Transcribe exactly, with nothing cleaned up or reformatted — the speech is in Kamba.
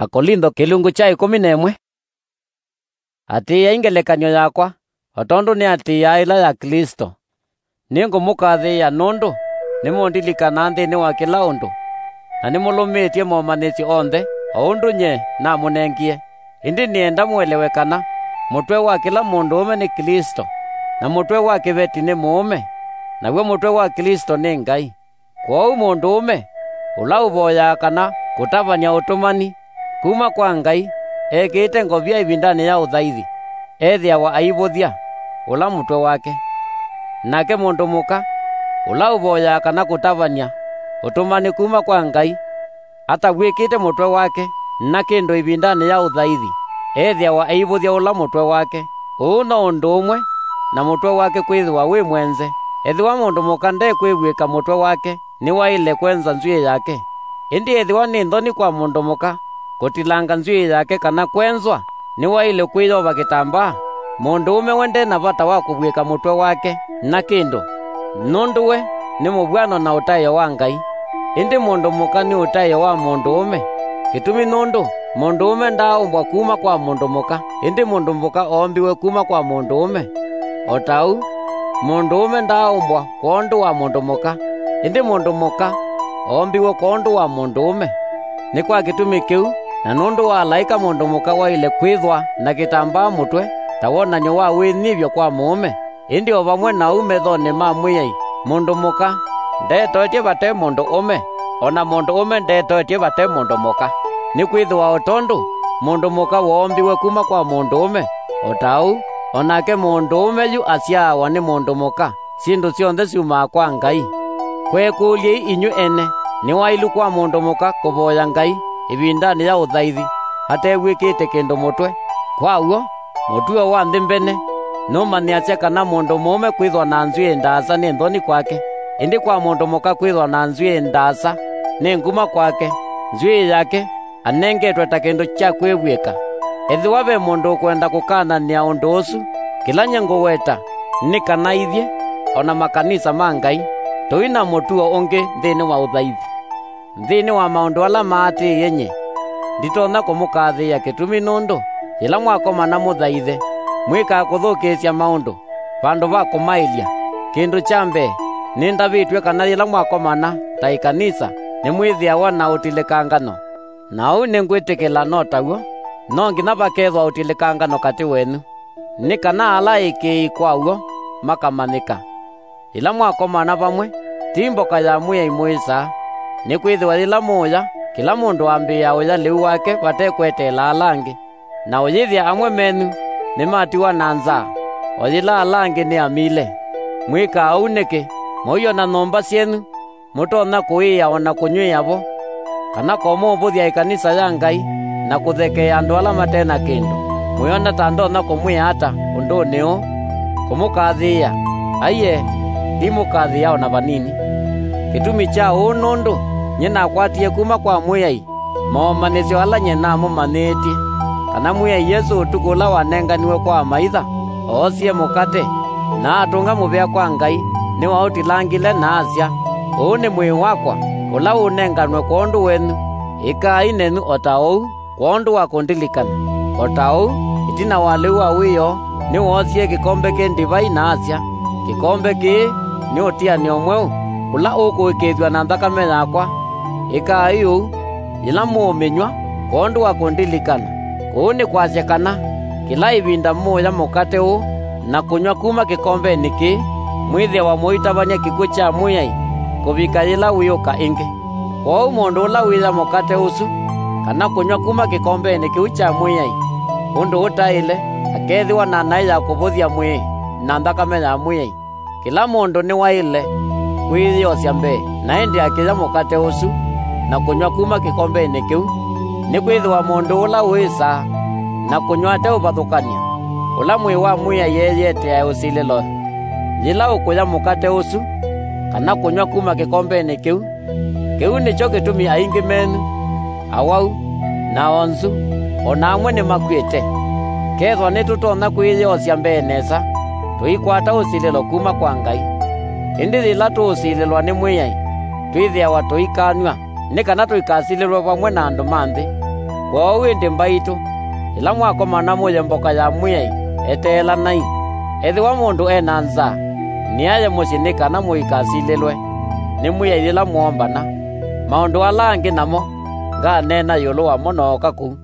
Akolintho kĩlungu kya ĩkũmi na ĩmwe. Atĩĩai ngelekany'o yakwa, o tondũ nĩatĩĩaa ĩla ya Klĩsto. Nĩngũmũkathĩĩa nũndũ nĩmũndilikanaa nthĩnĩ wa kĩla ũndũ, na nĩmũlũmĩtye momanyĩsyo onthe, o ũndũ nyie namũnengie. Ĩndĩ nĩenda mũelewe kana mũtwe wa kĩla mũndũũme nĩ Klĩsto, na mũtwe wa kĩveti nĩ mũũme, naw'o mũtwe wa Klĩsto nĩ Ngai. Kwoou mũndũũme ũla ũvoyaa kana kũtavany'a ũtũmani kuma kwa Ngai ekĩĩte ngovia ĩvindanĩ ya ũthaithi, ethĩawa aivũthya ũla mũtwe wake. Nake mũndũ mũka ũla ũvoyaa kana kũtavany'a ũtũmani kuma kwa Ngai atavw'ĩkĩte mũtwe wake na kĩndũ ĩvindanĩ ya ũthaithi, ethĩawa aivũthya ũla mũtwe wake. Ũu no ũndũ ũmwe na mũtwe wake kwĩthĩwa wĩ mwenze. Ethĩwa mũndũ mũka ndekwĩvw'ĩka mũtwe wake, nĩwaĩle kwenza nzw'ĩĩ yake. Ĩndĩ ethĩwa nĩ nthoni kwa mũndũ mũka kũtilanga nzw'ĩĩ yake kana kwenzwa, nĩwaĩle kwĩyova kĩtambaa. Mũndũũme we nde na vata wa kũvw'ĩka mũtwe wake na kĩndũ, nũndũ we nĩ mũvw'ano na ũtaĩo wa Ngai. Ĩndĩ mũndũ mũka nĩ ũtaĩo wa mũndũũme. Kĩtumi nũndũ mũndũũme ndaaumbwa kuma kwa mũndũ mũka, ĩndĩ mũndũ mũka oombiwe kuma kwa mũndũũme. O ta ũu, mũndũũme ndaaumbwa kwondũ wa mũndũ mũka, ĩndĩ mũndũ mũka oombiwe kwondũ wa mũndũũme. Nĩ kwa kĩtumi kĩu, na nũndũ wa alaĩka, mũndũ mũka waĩle kwĩthwa na kĩtambaa mũtwe ta wonany'o wa wĩnyivyo kwa mũũme. Ĩndĩ o vamwe na ũu, methonĩ ma Mwĩai, mũndũ mũka ndetoetye vate mũndũũme, o na mũndũũme ndetoetye vate mũndũ mũka. Nĩkwĩthĩwa o tondũ mũndũ mũka woombiwe kuma kwa mũndũũme, o ta ũu o nake mũndũũme yu asyaawa nĩ mũndũ mũka. Syĩndũ syonthe syumaa kwa Ngai. Kwekũlyei inyw'ĩ ene, nĩ waĩlu kwa mũndũ mũka kũvoya Ngai ĩvindanĩ ya ũthaithi atevw'ĩkĩte kĩndũ mũtwe? Kwa w'o, mũtuo wa nthĩ mbene nũmanyĩasya kana mũndũ mũũme kwĩthwa na nzw'ĩĩ ndaasa nĩ nthoni kwake, ĩndĩ kwa mũndũ mũka kwĩthwa na nzw'ĩĩ ndaasa nĩ nguma kwake, nzw'ĩĩ yake anengetwe ta kĩndũ kya kwĩvw'ĩka. Ethĩwa ve mũndũ ũkwenda kũkananĩa ũndũ ũsu, kĩla nyie ngũweta nĩ kana ithyĩ, o na makanisa ma Ngai, tũi na mũtuo ũngĩ nthĩnĩ wa ũthaithi. Nthĩnĩ wa maũndũ ala maatĩĩe nyie, nditonya kũmũkathĩĩa kĩtumi nũndũ yĩla mwakomana mũthaithe, mwĩkaa kũthũkĩĩsya maũndũ vandũ va kũmaĩlya. Kĩndũ kya mbee, nĩndavĩtw'e kana yĩla mwakomana ta ĩkanisa nĩmwĩthĩawa na ũtilĩkangano. Na ũu nĩngwĩtĩkĩla no taw'o, no nginya vakethwa ũtilĩkangano katĩ wenyu, nĩ kana ala aĩkĩĩi kwa w'o makamanyĩka. Yĩla mwakomana vamwe, ti mboka ya Mwĩai mũĩsaa, nĩkwĩthĩwa yĩla mũũya, kĩla mũndũ ambĩĩaa ũya lĩu wake vate kweteela ala angĩ. Na ũyĩthĩa amwe menyu nĩmatiwa na nzaa, o yĩla ala angĩ nĩ amile. Mwĩkaa ũu nĩkĩ? Mũiona nyũmba syenyu mũtonya kũĩĩa o na kũnyw'ĩĩa vo, kana komũvũthya ĩkanisa ya Ngai na kũthekeea andũ ala mate na kĩndũ? Mwĩona ta ndonya kũmwĩa ata ũndũnĩ ũũ? Kũmũkathĩĩa? Aiee, ndimũkathĩĩa o na vanini. Kĩtumi kya ũu nũndũ nyie nakwatie kuma kwa Mwĩai momanyĩsyo ala nyie namũmanyĩĩtye, kana Mwĩai Yesũ ũtukũ ũla wanenganiwe kwa amaitha, oosie mũkate, na atũnga mũvea kwa Ngai, nĩwaũtilangile, na asya, "Ũũ nĩ mwĩĩ wakwa, ũla ũũnenganwe kwondũ wenyu. Ĩkai nenyu o ta ũu kwondũ wa kũndilikana." O ta ũu, ĩtina wa lĩu wa wĩoo, nĩwoosie kĩkombe kĩ ndivai, na asya, "Kĩkombe kĩĩ nĩ ũtianĩo mweũ, ũla ũkũĩkĩĩthw'a na nthakame yakwa. Ĩkai ũu yĩla mũũmĩnyw'a kwondũ wa kũndilikana." Kũu nĩ kwasya kana kĩla ĩvinda mũũya mũkate ũũ na kũnyw'a kuma kĩkombenĩ kĩĩ, mwĩthĩawa mũitavany'a kĩkw'ũ kya Mwĩai kũvika yĩla wĩũka ĩngĩ. Kwoou mũndũ ũla wĩya mũkate ũsu, kana kũnyw'a kuma kĩkombenĩ kĩu kya Mwĩai ũndũ ũtaĩle, akeethĩwa na naĩ ya kũvũthya mwĩĩ na nthakame ya Mwĩai. Kĩla mũndũ nĩwaĩle kwĩyĩosya mbee, na ĩndĩ akĩya mũkate ũsu na kũnyw'a kuma kĩkombenĩ kĩu, nĩkwĩthĩwa mũndũ ũla ũĩsaa na kũnyw'a ate ũvathũkany'a, ũla mwĩĩ wa Mwĩai eeyĩeteae ũsilĩlo. Yĩla ũkũya mũkate ũsu, kana kũnyw'a kuma kĩkombenĩ kĩu, kĩu nĩkyo kĩtumi aingĩ menyu, awau, na onzu, o na amwe nĩmakw'ĩte. Kethwa nĩtũtonya kwĩyĩosya mbee nesa, tũikwata ũsilĩlo kuma kwa Ngai. Ĩndĩ yĩla tũũsilĩlwa nĩ Mwĩai, twĩthĩawa tũikanyw'a, nĩ kana tũikasilĩlwe vamwe na andũ ma nthĩ. Kwoou ĩndĩ mbaitũ, yĩla mwakomana mũye mboka ya Mwĩai, eteelanai. Ethĩwa mũndũ e na nzaa, nĩaye mũsyĩ nĩ kana mũikasilĩlwe nĩ Mwĩai yĩla mũombana. Maũndũ ala angĩ namo nganeena ĩũlũ wamo nooka kũu.